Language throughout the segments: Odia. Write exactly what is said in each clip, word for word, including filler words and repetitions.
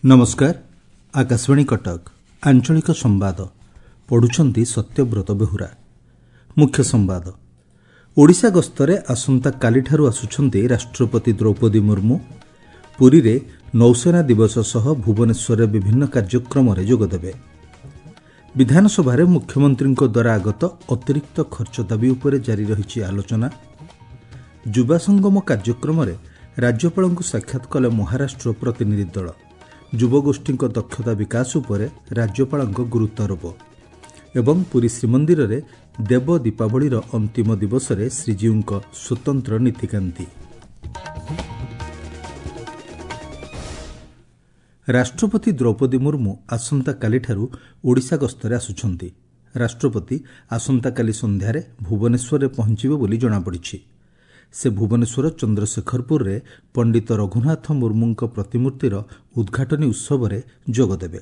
ନମସ୍କାର ଆକାଶବାଣୀ କଟକ ଆଞ୍ଚଳିକ ସମ୍ବାଦ ପଢୁଛନ୍ତି ସତ୍ୟବ୍ରତ ବେହୁରା ମୁଖ୍ୟ ସମ୍ବାଦ ଓଡ଼ିଶା ଗସ୍ତରେ ଆସନ୍ତାକାଲିଠାରୁ ଆସୁଛନ୍ତି ରାଷ୍ଟ୍ରପତି ଦ୍ରୌପଦୀ ମୁର୍ମୁ ପୁରୀରେ ନୌସେନା ଦିବସ ସହ ଭୁବନେଶ୍ୱରରେ ବିଭିନ୍ନ କାର୍ଯ୍ୟକ୍ରମରେ ଯୋଗଦେବେ ବିଧାନସଭାରେ ମୁଖ୍ୟମନ୍ତ୍ରୀଙ୍କ ଦ୍ୱାରା ଆଗତ ଅତିରିକ୍ତ ଖର୍ଚ୍ଚ ଦାବି ଉପରେ ଜାରି ରହିଛି ଆଲୋଚନା ଯୁବା ସଙ୍ଗମ କାର୍ଯ୍ୟକ୍ରମରେ ରାଜ୍ୟପାଳଙ୍କୁ ସାକ୍ଷାତ କଲେ ମହାରାଷ୍ଟ୍ର ପ୍ରତିନିଧି ଦଳ ଯୁବଗୋଷ୍ଠୀଙ୍କ ଦକ୍ଷତା ବିକାଶ ଉପରେ ରାଜ୍ୟପାଳଙ୍କ ଗୁରୁତ୍ୱାରୋପ ଏବଂ ପୁରୀ ଶ୍ରୀମନ୍ଦିରରେ ଦେବ ଦୀପାବଳିର ଅନ୍ତିମ ଦିବସରେ ଶ୍ରୀଜୀଉଙ୍କ ସ୍ୱତନ୍ତ୍ର ନୀତିକାନ୍ତି ରାଷ୍ଟ୍ରପତି ଦ୍ରୌପଦୀ ମୁର୍ମୁ ଆସନ୍ତାକାଲିଠାରୁ ଓଡ଼ିଶା ଗସ୍ତରେ ଆସୁଛନ୍ତି ରାଷ୍ଟ୍ରପତି ଆସନ୍ତାକାଲି ସନ୍ଧ୍ୟାରେ ଭୁବନେଶ୍ୱରରେ ପହଞ୍ଚିବେ ବୋଲି ଜଣାପଡ଼ିଛି ସେ ଭୁବନେଶ୍ୱର ଚନ୍ଦ୍ରଶେଖରପୁରରେ ପଣ୍ଡିତ ରଘୁନାଥ ମୁର୍ମୁଙ୍କ ପ୍ରତିମୂର୍ତ୍ତିର ଉଦ୍ଘାଟନୀ ଉତ୍ସବରେ ଯୋଗଦେବେ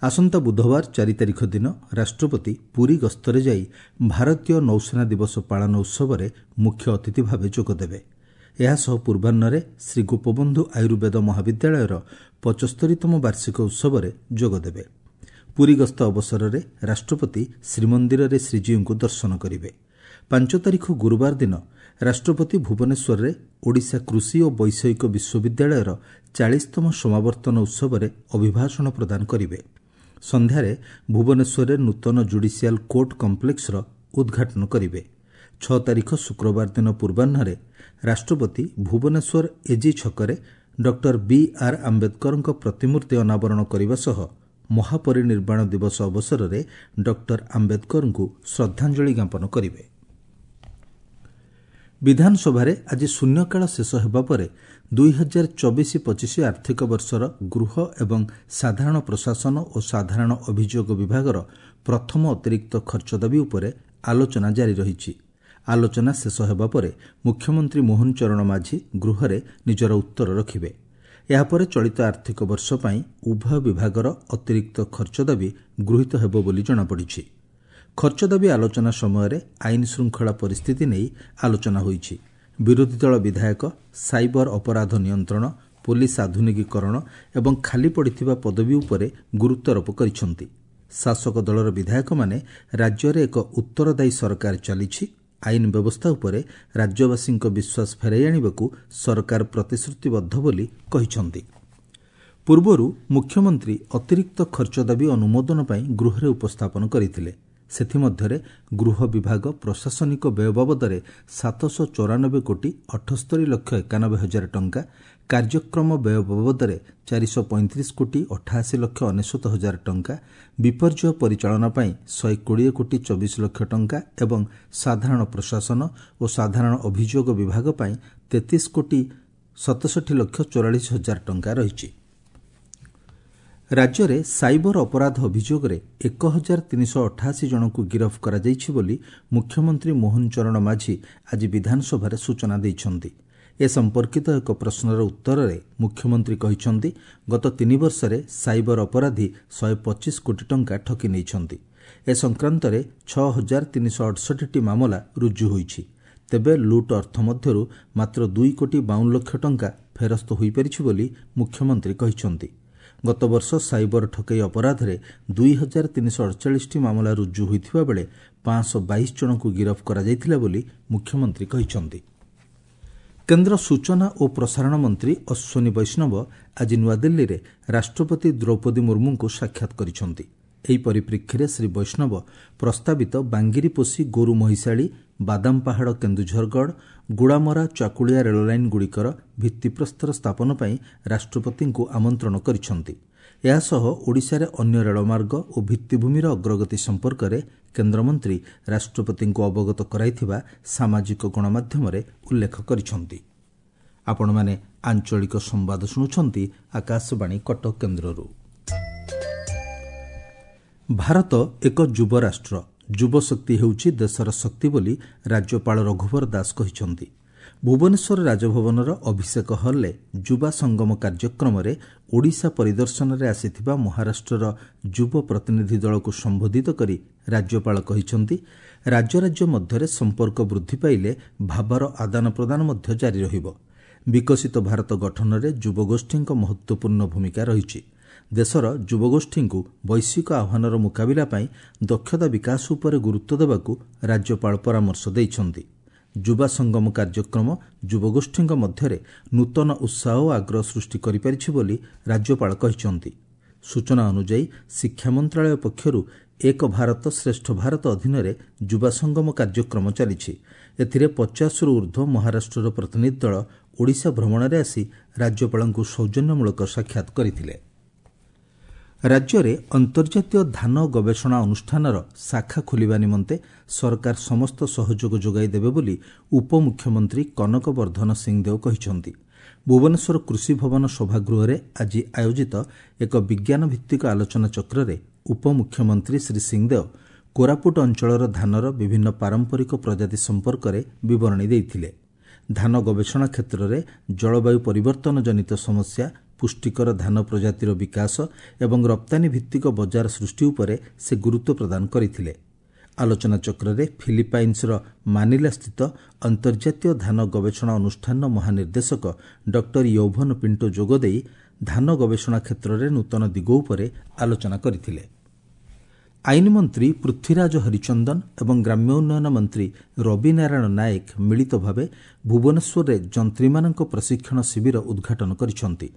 ଆସନ୍ତା ବୁଧବାର ଚାରି ତାରିଖ ଦିନ ରାଷ୍ଟ୍ରପତି ପୁରୀ ଗସ୍ତରେ ଯାଇ ଭାରତୀୟ ନୌସେନା ଦିବସ ପାଳନ ଉତ୍ସବରେ ମୁଖ୍ୟ ଅତିଥି ଭାବେ ଯୋଗଦେବେ ଏହାସହ ପୂର୍ବାହ୍ନରେ ଶ୍ରୀ ଗୋପବନ୍ଧୁ ଆୟୁର୍ବେଦ ମହାବିଦ୍ୟାଳୟର ପଞ୍ଚସ୍ତରୀତମ ବାର୍ଷିକ ଉତ୍ସବରେ ଯୋଗଦେବେ ପୁରୀ ଗସ୍ତ ଅବସରରେ ରାଷ୍ଟ୍ରପତି ଶ୍ରୀମନ୍ଦିରରେ ଶ୍ରୀଜୀଉଙ୍କୁ ଦର୍ଶନ କରିବେ ପାଞ୍ଚ ତାରିଖ ଗୁରୁବାର ଦିନ ରାଷ୍ଟ୍ରପତି ଭୁବନେଶ୍ୱରରେ ଓଡ଼ିଶା କୃଷି ଓ ବୈଷୟିକ ବିଶ୍ୱବିଦ୍ୟାଳୟର ଚାଳିଶତମ ସମାବର୍ତ୍ତନ ଉତ୍ସବରେ ଅଭିଭାଷଣ ପ୍ରଦାନ କରିବେ ସନ୍ଧ୍ୟାରେ ଭୁବନେଶ୍ୱରରେ ନୂତନ ଜୁଡିସିଆଲ କୋର୍ଟ କମ୍ପ୍ଲେକ୍ସର ଉଦ୍ଘାଟନ କରିବେ ଛଅ ତାରିଖ ଶୁକ୍ରବାର ଦିନ ପୂର୍ବାହ୍ନରେ ରାଷ୍ଟ୍ରପତି ଭୁବନେଶ୍ୱର ଏଜି ଛକରେ ଡକ୍ଟର ବି ଆର୍ ଆମ୍ବେଦକରଙ୍କ ପ୍ରତିମୂର୍ତ୍ତି ଅନାବରଣ କରିବା ସହ ମହାପରିନିର୍ବାଣ ଦିବସ ଅବସରରେ ଡକ୍ଟର ଆମ୍ବେଦକରଙ୍କୁ ଶ୍ରଦ୍ଧାଞ୍ଜଳି ଜ୍ଞାପନ କରିବେ ବିଧାନସଭାରେ ଆଜି ଶୂନ୍ୟକାଳ ଶେଷ ହେବା ପରେ ଦୁଇ ହଜାର ଚବିଶ ପଚିଶ ଆର୍ଥିକ ବର୍ଷର ଗୃହ ଏବଂ ସାଧାରଣ ପ୍ରଶାସନ ଓ ସାଧାରଣ ଅଭିଯୋଗ ବିଭାଗର ପ୍ରଥମ ଅତିରିକ୍ତ ଖର୍ଚ୍ଚ ଦାବି ଉପରେ ଆଲୋଚନା ଜାରି ରହିଛି ଆଲୋଚନା ଶେଷ ହେବା ପରେ ମୁଖ୍ୟମନ୍ତ୍ରୀ ମୋହନ ଚରଣ ମାଝୀ ଗୃହରେ ନିଜର ଉତ୍ତର ରଖିବେ ଏହାପରେ ଚଳିତ ଆର୍ଥିକ ବର୍ଷ ପାଇଁ ଉଭୟ ବିଭାଗର ଅତିରିକ୍ତ ଖର୍ଚ୍ଚ ଦାବି ଗୃହୀତ ହେବ ବୋଲି ଜଣାପଡ଼ିଛି ଖର୍ଚ୍ଚ ଦାବି ଆଲୋଚନା ସମୟରେ ଆଇନ ଶୃଙ୍ଖଳା ପରିସ୍ଥିତି ନେଇ ଆଲୋଚନା ହୋଇଛି ବିରୋଧୀ ଦଳ ବିଧାୟକ ସାଇବର ଅପରାଧ ନିୟନ୍ତ୍ରଣ ପୋଲିସ ଆଧୁନିକୀକରଣ ଏବଂ ଖାଲି ପଡ଼ିଥିବା ପଦବୀ ଉପରେ ଗୁରୁତ୍ୱାରୋପ କରିଛନ୍ତି ଶାସକ ଦଳର ବିଧାୟକମାନେ ରାଜ୍ୟରେ ଏକ ଉତ୍ତରଦାୟୀ ସରକାର ଚାଲିଛି ଆଇନ ବ୍ୟବସ୍ଥା ଉପରେ ରାଜ୍ୟବାସୀଙ୍କ ବିଶ୍ୱାସ ଫେରାଇ ଆଣିବାକୁ ସରକାର ପ୍ରତିଶ୍ରୁତିବଦ୍ଧ ବୋଲି କହିଛନ୍ତି ପୂର୍ବରୁ ମୁଖ୍ୟମନ୍ତ୍ରୀ ଅତିରିକ୍ତ ଖର୍ଚ୍ଚ ଦାବି ଅନୁମୋଦନ ପାଇଁ ଗୃହରେ ଉପସ୍ଥାପନ କରିଥିଲେ ସେଥିମଧ୍ୟରେ ଗୃହ ବିଭାଗ ପ୍ରଶାସନିକ ବ୍ୟୟ ବାବଦରେ ସାତଶହ ଚଉରାନବେ କୋଟି ଅଠସ୍ତରୀ ଲକ୍ଷ ଏକାନବେ ହଜାର ଟଙ୍କା କାର୍ଯ୍ୟକ୍ରମ ବ୍ୟୟ ବାବଦରେ ଚାରିଶହ ପଇଁତିରିଶ କୋଟି ଅଠାଅଶୀ ଲକ୍ଷ ଅନେଶ୍ୱତ ହଜାର ଟଙ୍କା ବିପର୍ଯ୍ୟୟ ପରିଚାଳନା ପାଇଁ ଶହେ କୋଡ଼ିଏ କୋଟି ଚବିଶ ଲକ୍ଷ ଟଙ୍କା ଏବଂ ସାଧାରଣ ପ୍ରଶାସନ ଓ ସାଧାରଣ ଅଭିଯୋଗ ବିଭାଗ ପାଇଁ ତେତିଶ କୋଟି ସତଷଠି ଲକ୍ଷ ଚଉରାଳିଶ ହଜାର ଟଙ୍କା ରହିଛି ରାଜ୍ୟରେ ସାଇବର ଅପରାଧ ଅଭିଯୋଗରେ ଏକ ହଜାର ତିନିଶହ ଅଠାଅଶୀ ଜଣଙ୍କୁ ଗିରଫ କରାଯାଇଛି ବୋଲି ମୁଖ୍ୟମନ୍ତ୍ରୀ ମୋହନ ଚରଣ ମାଝୀ ଆଜି ବିଧାନସଭାରେ ସୂଚନା ଦେଇଛନ୍ତି ଏ ସମ୍ପର୍କିତ ଏକ ପ୍ରଶ୍ନର ଉତ୍ତରରେ ମୁଖ୍ୟମନ୍ତ୍ରୀ କହିଛନ୍ତି ଗତ ତିନି ବର୍ଷରେ ସାଇବର ଅପରାଧୀ ଶହେ ପଚିଶ କୋଟି ଟଙ୍କା ଠକି ନେଇଛନ୍ତି ଏ ସଂକ୍ରାନ୍ତରେ ଛଅ ହଜାର ତିନିଶହ ଅଠଷଠିଟି ମାମଲା ରୁଜୁ ହୋଇଛି ତେବେ ଲୁଟ୍ ଅର୍ଥ ମଧ୍ୟରୁ ମାତ୍ର ଦୁଇ କୋଟି ବାଉନ ଲକ୍ଷ ଟଙ୍କା ଫେରସ୍ତ ହୋଇପାରିଛି ବୋଲି ମୁଖ୍ୟମନ୍ତ୍ରୀ କହିଛନ୍ତି ଗତବର୍ଷ ସାଇବର ଠକେଇ ଅପରାଧରେ ଦୁଇ ହଜାର ତିନିଶହ ଅଡ଼ଚାଳିଶଟି ମାମଲା ରୁଜୁ ହୋଇଥିବା ବେଳେ ପାଞ୍ଚଶହ ବାଇଶ ଜଣଙ୍କୁ ଗିରଫ କରାଯାଇଥିଲା ବୋଲି ମୁଖ୍ୟମନ୍ତ୍ରୀ କହିଛନ୍ତି କେନ୍ଦ୍ର ସୂଚନା ଓ ପ୍ରସାରଣ ମନ୍ତ୍ରୀ ଅଶ୍ୱିନୀ ବୈଷ୍ଣବ ଆଜି ନୂଆଦିଲ୍ଲୀରେ ରାଷ୍ଟ୍ରପତି ଦ୍ରୌପଦୀ ମୁର୍ମୁଙ୍କୁ ସାକ୍ଷାତ କରିଛନ୍ତି ଏହି ପରିପ୍ରେକ୍ଷୀରେ ଶ୍ରୀ ବୈଷ୍ଣବ ପ୍ରସ୍ତାବିତ ବାଙ୍ଗିରିପୋଷି ଗୋରୁ ମହିଷାଳୀ ବାଦାମପାହାଡ଼ କେନ୍ଦୁଝରଗଡ଼ ଗୁଡ଼ାମରା ଚାକୁଳିଆ ରେଳଲାଇନ୍ଗୁଡ଼ିକର ଭିତ୍ତିପ୍ରସ୍ତର ସ୍ଥାପନ ପାଇଁ ରାଷ୍ଟ୍ରପତିଙ୍କୁ ଆମନ୍ତ୍ରଣ କରିଛନ୍ତି ଏହାସହ ଓଡ଼ିଶାରେ ଅନ୍ୟ ରେଳମାର୍ଗ ଓ ଭିତ୍ତିଭୂମିର ଅଗ୍ରଗତି ସମ୍ପର୍କରେ କେନ୍ଦ୍ରମନ୍ତ୍ରୀ ରାଷ୍ଟ୍ରପତିଙ୍କୁ ଅବଗତ କରାଇଥିବା ସାମାଜିକ ଗଣମାଧ୍ୟମରେ ଉଲ୍ଲେଖ କରିଛନ୍ତି ଆପଣମାନେ ଆଞ୍ଚଳିକ ସମ୍ବାଦ ଶୁଣୁଛନ୍ତି ଆକାଶବାଣୀ କଟକ କେନ୍ଦ୍ରରୁ ଭାରତ ଏକ ଯୁବ ରାଷ୍ଟ୍ର ଯୁବଶକ୍ତି ହେଉଛି ଦେଶର ଶକ୍ତି ବୋଲି ରାଜ୍ୟପାଳ ରଘୁବର ଦାସ କହିଛନ୍ତି ଭୁବନେଶ୍ୱର ରାଜଭବନର ଅଭିଷେକ ହଲ୍ରେ ଯୁବା ସଙ୍ଗମ କାର୍ଯ୍ୟକ୍ରମରେ ଓଡ଼ିଶା ପରିଦର୍ଶନରେ ଆସିଥିବା ମହାରାଷ୍ଟ୍ରର ଯୁବ ପ୍ରତିନିଧି ଦଳକୁ ସମ୍ବୋଧିତ କରି ରାଜ୍ୟପାଳ କହିଛନ୍ତି ରାଜ୍ୟ ରାଜ୍ୟ ମଧ୍ୟରେ ସମ୍ପର୍କ ବୃଦ୍ଧି ପାଇଲେ ଭାବର ଆଦାନ ପ୍ରଦାନ ମଧ୍ୟ ଜାରି ରହିବ ବିକଶିତ ଭାରତ ଗଠନରେ ଯୁବଗୋଷ୍ଠୀଙ୍କ ମହତ୍ତ୍ୱପୂର୍ଣ୍ଣ ଭୂମିକା ରହିଛି ଦେଶର ଯୁବଗୋଷ୍ଠୀଙ୍କୁ ବୈଶ୍ୱିକ ଆହ୍ୱାନର ମୁକାବିଲା ପାଇଁ ଦକ୍ଷତା ବିକାଶ ଉପରେ ଗୁରୁତ୍ୱ ଦେବାକୁ ରାଜ୍ୟପାଳ ପରାମର୍ଶ ଦେଇଛନ୍ତି। ଯୁବା ସଙ୍ଗମ କାର୍ଯ୍ୟକ୍ରମ ଯୁବଗୋଷ୍ଠୀଙ୍କ ମଧ୍ୟରେ ନୂତନ ଉତ୍ସାହ ଓ ଆଗ୍ରହ ସୃଷ୍ଟି କରିପାରିଛି ବୋଲି ରାଜ୍ୟପାଳ କହିଛନ୍ତି। ସୂଚନା ଅନୁଯାୟୀ ଶିକ୍ଷା ମନ୍ତ୍ରାଳୟ ପକ୍ଷରୁ ଏକ ଭାରତ ଶ୍ରେଷ୍ଠ ଭାରତ ଅଧୀନରେ ଯୁବା ସଙ୍ଗମ କାର୍ଯ୍ୟକ୍ରମ ଚାଲିଛି। ଏଥିରେ ପଚାଶରୁ ଊର୍ଦ୍ଧ୍ୱ ମହାରାଷ୍ଟ୍ରର ପ୍ରତିନିଧି ଦଳ ଓଡ଼ିଶା ଭ୍ରମଣରେ ଆସି ରାଜ୍ୟପାଳଙ୍କୁ ସୌଜନ୍ୟମୂଳକ ସାକ୍ଷାତ କରିଥିଲେ। ରାଜ୍ୟରେ ଅନ୍ତର୍ଜାତୀୟ ଧାନ ଗବେଷଣା ଅନୁଷ୍ଠାନର ଶାଖା ଖୋଲିବା ନିମନ୍ତେ ସରକାର ସମସ୍ତ ସହଯୋଗ ଯୋଗାଇ ଦେବେ ବୋଲି ଉପମୁଖ୍ୟମନ୍ତ୍ରୀ କନକ ବର୍ଦ୍ଧନ ସିଂଦେଓ କହିଛନ୍ତି। ଭୁବନେଶ୍ୱର କୃଷି ଭବନ ସଭାଗୃହରେ ଆଜି ଆୟୋଜିତ ଏକ ବିଜ୍ଞାନଭିତ୍ତିକ ଆଲୋଚନାଚକ୍ରରେ ଉପମୁଖ୍ୟମନ୍ତ୍ରୀ ଶ୍ରୀ ସିଂଦେଓ କୋରାପୁଟ ଅଞ୍ଚଳର ଧାନର ବିଭିନ୍ନ ପାରମ୍ପରିକ ପ୍ରଜାତି ସମ୍ପର୍କରେ ବିବରଣୀ ଦେଇଥିଲେ। ଧାନ ଗବେଷଣା କ୍ଷେତ୍ରରେ ଜଳବାୟୁ ପରିବର୍ତ୍ତନ ଜନିତ ସମସ୍ୟା, ପୁଷ୍ଟିକର ଧାନ ପ୍ରଜାତିର ବିକାଶ ଏବଂ ରପ୍ତାନୀ ଭିତ୍ତିକ ବଜାର ସୃଷ୍ଟି ଉପରେ ସେ ଗୁରୁତ୍ୱ ପ୍ରଦାନ କରିଥିଲେ। ଆଲୋଚନାଚକ୍ରରେ ଫିଲିପାଇନ୍ସର ମାନିଲାସ୍ଥିତ ଅନ୍ତର୍ଜାତୀୟ ଧାନ ଗବେଷଣା ଅନୁଷ୍ଠାନର ମହାନିର୍ଦ୍ଦେଶକ ଡକ୍ଟର ୟୌଭନ ପିଣ୍ଟୋ ଯୋଗଦେଇ ଧାନ ଗବେଷଣା କ୍ଷେତ୍ରରେ ନୂତନ ଦିଗ ଉପରେ ଆଲୋଚନା କରିଥିଲେ। ଆଇନ ମନ୍ତ୍ରୀ ପୃଥ୍ୱୀରାଜ ହରିଚନ୍ଦନ ଏବଂ ଗ୍ରାମ୍ୟ ଉନ୍ନୟନ ମନ୍ତ୍ରୀ ରବି ନାରାୟଣ ନାୟକ ମିଳିତ ଭାବେ ଭୁବନେଶ୍ୱରରେ ଯନ୍ତ୍ରୀମାନଙ୍କ ପ୍ରଶିକ୍ଷଣ ଶିବିର ଉଦ୍ଘାଟନ କରିଛନ୍ତି।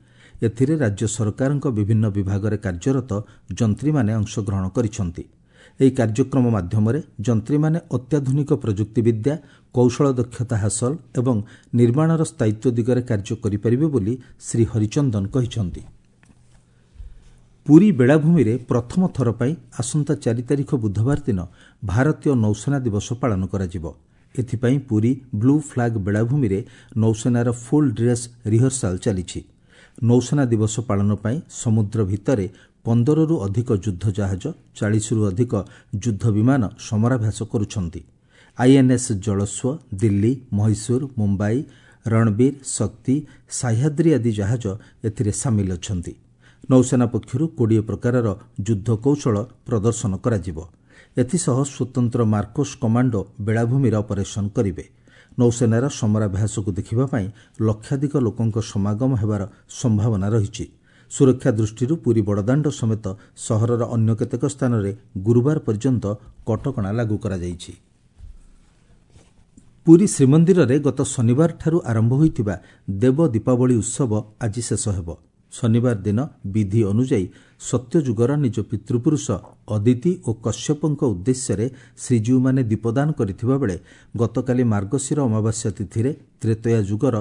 ଏଥିରେ ରାଜ୍ୟ ସରକାରଙ୍କ ବିଭିନ୍ନ ବିଭାଗରେ କାର୍ଯ୍ୟରତ ଯନ୍ତ୍ରୀମାନେ ଅଂଶଗ୍ରହଣ କରିଛନ୍ତି। ଏହି କାର୍ଯ୍ୟକ୍ରମ ମାଧ୍ୟମରେ ଯନ୍ତ୍ରୀମାନେ ଅତ୍ୟାଧୁନିକ ପ୍ରଯୁକ୍ତିବିଦ୍ୟା, କୌଶଳ ଦକ୍ଷତା ହାସଲ ଏବଂ ନିର୍ମାଣର ସ୍ଥାୟିତ୍ୱ ଦିଗରେ କାର୍ଯ୍ୟ କରିପାରିବେ ବୋଲି ଶ୍ରୀ ହରିଚନ୍ଦନ କହିଛନ୍ତି। ପୁରୀ ବେଳାଭୂମିରେ ପ୍ରଥମ ଥର ପାଇଁ ଆସନ୍ତା ଚାରି ତାରିଖ ବୁଧବାର ଦିନ ଭାରତୀୟ ନୌସେନା ଦିବସ ପାଳନ କରାଯିବ। ଏଥିପାଇଁ ପୁରୀ ବ୍ଲୁ ଫ୍ଲାଗ୍ ବେଳାଭୂମିରେ ନୌସେନାର ଫୁଲ୍ ଡ୍ରେସ୍ ରିହର୍ସାଲ୍ ଚାଲିଛି। ନୌସେନା ଦିବସ ପାଳନ ପାଇଁ ସମୁଦ୍ର ଭିତରେ ପନ୍ଦରରୁ ଅଧିକ ଯୁଦ୍ଧ ଜାହାଜ, ଚାଳିଶରୁ ଅଧିକ ଯୁଦ୍ଧ ବିମାନ ସମରାଭ୍ୟାସ କରୁଛନ୍ତି। ଆଇଏନ୍ଏସ୍ ଜଳସ୍ୱ, ଦିଲ୍ଲୀ, ମହୀଶୂର, ମୁମ୍ବାଇ, ରଣବୀର, ଶକ୍ତି, ସାହ୍ୟାଦ୍ରି ଆଦି ଜାହାଜ ଏଥିରେ ସାମିଲ ଅଛନ୍ତି। ନୌସେନା ପକ୍ଷରୁ କୋଡ଼ିଏ ପ୍ରକାରର ଯୁଦ୍ଧ କୌଶଳ ପ୍ରଦର୍ଶନ କରାଯିବ। ଏଥିସହ ସ୍ୱତନ୍ତ୍ର ମାର୍କୋସ୍ କମାଣ୍ଡୋ ବେଳାଭୂମିରେ ଅପରେସନ୍ କରିବେ। ନୌସେନାର ସମରାଭ୍ୟାସକୁ ଦେଖିବା ପାଇଁ ଲକ୍ଷାଧିକ ଲୋକଙ୍କ ସମାଗମ ହେବାର ସମ୍ଭାବନା ରହିଛି। ସୁରକ୍ଷା ଦୃଷ୍ଟିରୁ ପୁରୀ ବଡ଼ଦାଣ୍ଡ ସମେତ ସହରର ଅନ୍ୟ କେତେକ ସ୍ଥାନରେ ଗୁରୁବାର ପର୍ଯ୍ୟନ୍ତ କଟକଣା ଲାଗୁ କରାଯାଇଛି। ପୁରୀ ଶ୍ରୀମନ୍ଦିରରେ ଗତ ଶନିବାରଠାରୁ ଆରମ୍ଭ ହୋଇଥିବା ଦେବ ଦୀପାବଳି ଉତ୍ସବ ଆଜି ଶେଷ ହେବ। ଶନିବାର ଦିନ ବିଧି ଅନୁଯାୟୀ ସତ୍ୟଯୁଗର ନିଜ ପିତୃପୁରୁଷ ଅଦିତି ଓ କଶ୍ୟପଙ୍କ ଉଦ୍ଦେଶ୍ୟରେ ଶ୍ରୀଜୀଉମାନେ ଦୀପଦାନ କରିଥିବା ବେଳେ ଗତକାଲି ମାର୍ଗଶିର ଅମାବାସ୍ୟା ତିଥିରେ ତ୍ରେତୟା ଯୁଗର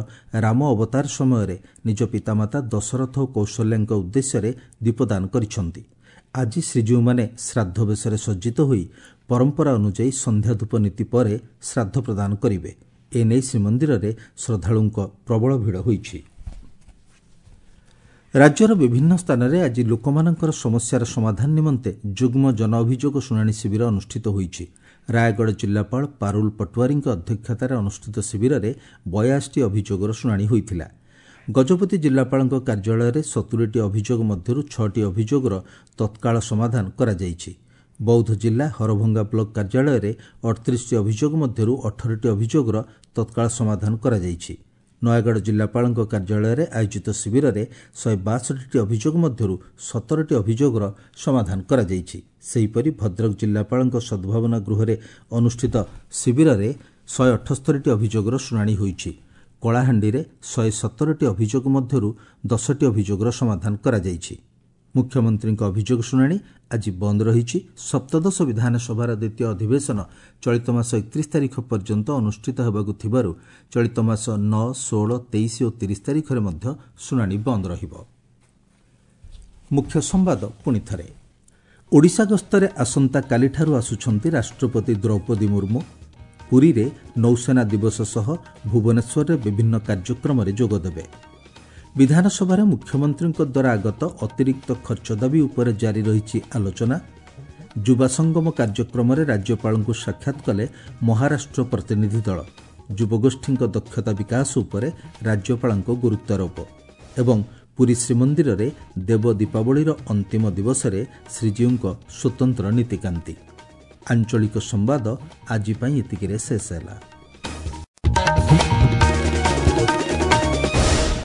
ରାମ ଅବତାର ସମୟରେ ନିଜ ପିତାମାତା ଦଶରଥ ଓ କୌଶଲ୍ୟାଙ୍କ ଉଦ୍ଦେଶ୍ୟରେ ଦୀପଦାନ କରିଛନ୍ତି। ଆଜି ଶ୍ରୀଜୀଉମାନେ ଶ୍ରାଦ୍ଧ ବେଶରେ ସଜ୍ଜିତ ହୋଇ ପରମ୍ପରା ଅନୁଯାୟୀ ସନ୍ଧ୍ୟାଧୂପ ନୀତି ପରେ ଶ୍ରାଦ୍ଧ ପ୍ରଦାନ କରିବେ। ଏନେଇ ଶ୍ରୀମନ୍ଦିରରେ ଶ୍ରଦ୍ଧାଳୁଙ୍କ ପ୍ରବଳ ଭିଡ଼ ହୋଇଛି। ରାଜ୍ୟର ବିଭିନ୍ନ ସ୍ଥାନରେ ଆଜି ଲୋକମାନଙ୍କର ସମସ୍ୟାର ସମାଧାନ ନିମନ୍ତେ ଯୁଗ୍ମ ଜନ ଅଭିଯୋଗ ଶୁଣାଣି ଶିବିର ଅନୁଷ୍ଠିତ ହୋଇଛି। ରାୟଗଡ଼ ଜିଲ୍ଲାପାଳ ପାରୁଲ ପଟୁଆରୀଙ୍କ ଅଧ୍ୟକ୍ଷତାରେ ଅନୁଷ୍ଠିତ ଶିବିରରେ ବୟାଅଶୀଟି ଅଭିଯୋଗର ଶୁଣାଣି ହୋଇଥିଲା। ଗଜପତି ଜିଲ୍ଲାପାଳଙ୍କ କାର୍ଯ୍ୟାଳୟରେ ସତୁରିଟି ଅଭିଯୋଗ ମଧ୍ୟରୁ ଛଅଟି ଅଭିଯୋଗର ତତ୍କାଳ ସମାଧାନ କରାଯାଇଛି। ବୌଦ୍ଧ ଜିଲ୍ଲା ହରଭଙ୍ଗା ବ୍ଲକ କାର୍ଯ୍ୟାଳୟରେ ଅଠତିରିଶଟି ଅଭିଯୋଗ ମଧ୍ୟରୁ ଅଠରଟି ଅଭିଯୋଗର ତତ୍କାଳ ସମାଧାନ କରାଯାଇଛି। ନୟାଗଡ଼ ଜିଲ୍ଲାପାଳଙ୍କ କାର୍ଯ୍ୟାଳୟରେ ଆୟୋଜିତ ଶିବିରରେ ଶହେ ବାଷଠିଟି ଅଭିଯୋଗ ମଧ୍ୟରୁ ସତରଟି ଅଭିଯୋଗର ସମାଧାନ କରାଯାଇଛି। ସେହିପରି ଭଦ୍ରକ ଜିଲ୍ଲାପାଳଙ୍କ ସଦ୍ଭାବନା ଗୃହରେ ଅନୁଷ୍ଠିତ ଶିବିରରେ ଶହେ ଅଠସ୍ତରୀଟି ଅଭିଯୋଗର ଶୁଣାଣି ହୋଇଛି। କଳାହାଣ୍ଡିରେ ଶହେ ସତରଟି ଅଭିଯୋଗ ମଧ୍ୟରୁ ଦଶଟି ଅଭିଯୋଗର ସମାଧାନ କରାଯାଇଛି। ମୁଖ୍ୟମନ୍ତ୍ରୀଙ୍କ ଅଭିଯୋଗ ଶୁଣାଣି ଆଜି ବନ୍ଦ ରହିଛି। ସପ୍ତଦଶ ବିଧାନସଭାର ଦ୍ୱିତୀୟ ଅଧିବେଶନ ଚଳିତ ମାସ ଏକତିରିଶ ତାରିଖ ପର୍ଯ୍ୟନ୍ତ ଅନୁଷ୍ଠିତ ହେବାକୁ ଥିବାରୁ ଚଳିତ ମାସ ନଅ, ଷୋହଳ, ତେଇଶ ଓ ତିରିଶ ତାରିଖରେ ମଧ୍ୟ ଶୁଣାଣି ବନ୍ଦ ରହିବ। ମୁଖ୍ୟ ସମ୍ବାଦ ପୁଣି ଥରେ। ଓଡ଼ିଶା ଗସ୍ତରେ ଆସନ୍ତାକାଲିଠାରୁ ଆସୁଛନ୍ତି ରାଷ୍ଟ୍ରପତି ଦ୍ରୌପଦୀ ମୁର୍ମୁ। ପୁରୀରେ ନୌସେନା ଦିବସ ସହ ଭୁବନେଶ୍ୱରରେ ବିଭିନ୍ନ କାର୍ଯ୍ୟକ୍ରମରେ ଯୋଗଦେବେ। ବିଧାନସଭାରେ ମୁଖ୍ୟମନ୍ତ୍ରୀଙ୍କ ଦ୍ୱାରା ଆଗତ ଅତିରିକ୍ତ ଖର୍ଚ୍ଚ ଦାବି ଉପରେ ଜାରି ରହିଛି ଆଲୋଚନା। ଯୁବା ସଙ୍ଗମ କାର୍ଯ୍ୟକ୍ରମରେ ରାଜ୍ୟପାଳଙ୍କୁ ସାକ୍ଷାତ କଲେ ମହାରାଷ୍ଟ୍ର ପ୍ରତିନିଧି ଦଳ। ଯୁବଗୋଷ୍ଠୀଙ୍କ ଦକ୍ଷତା ବିକାଶ ଉପରେ ରାଜ୍ୟପାଳଙ୍କ ଗୁରୁତ୍ୱାରୋପ। ଏବଂ ପୁରୀ ଶ୍ରୀମନ୍ଦିରରେ ଦେବ ଦୀପାବଳିର ଅନ୍ତିମ ଦିବସରେ ଶ୍ରୀଜୀଉଙ୍କ ସ୍ୱତନ୍ତ୍ର ନୀତିକାନ୍ତି। ଆଞ୍ଚଳିକ ସମ୍ବାଦ ଆଜି ପାଇଁ ଏତିକିରେ ଶେଷ ହେଲା।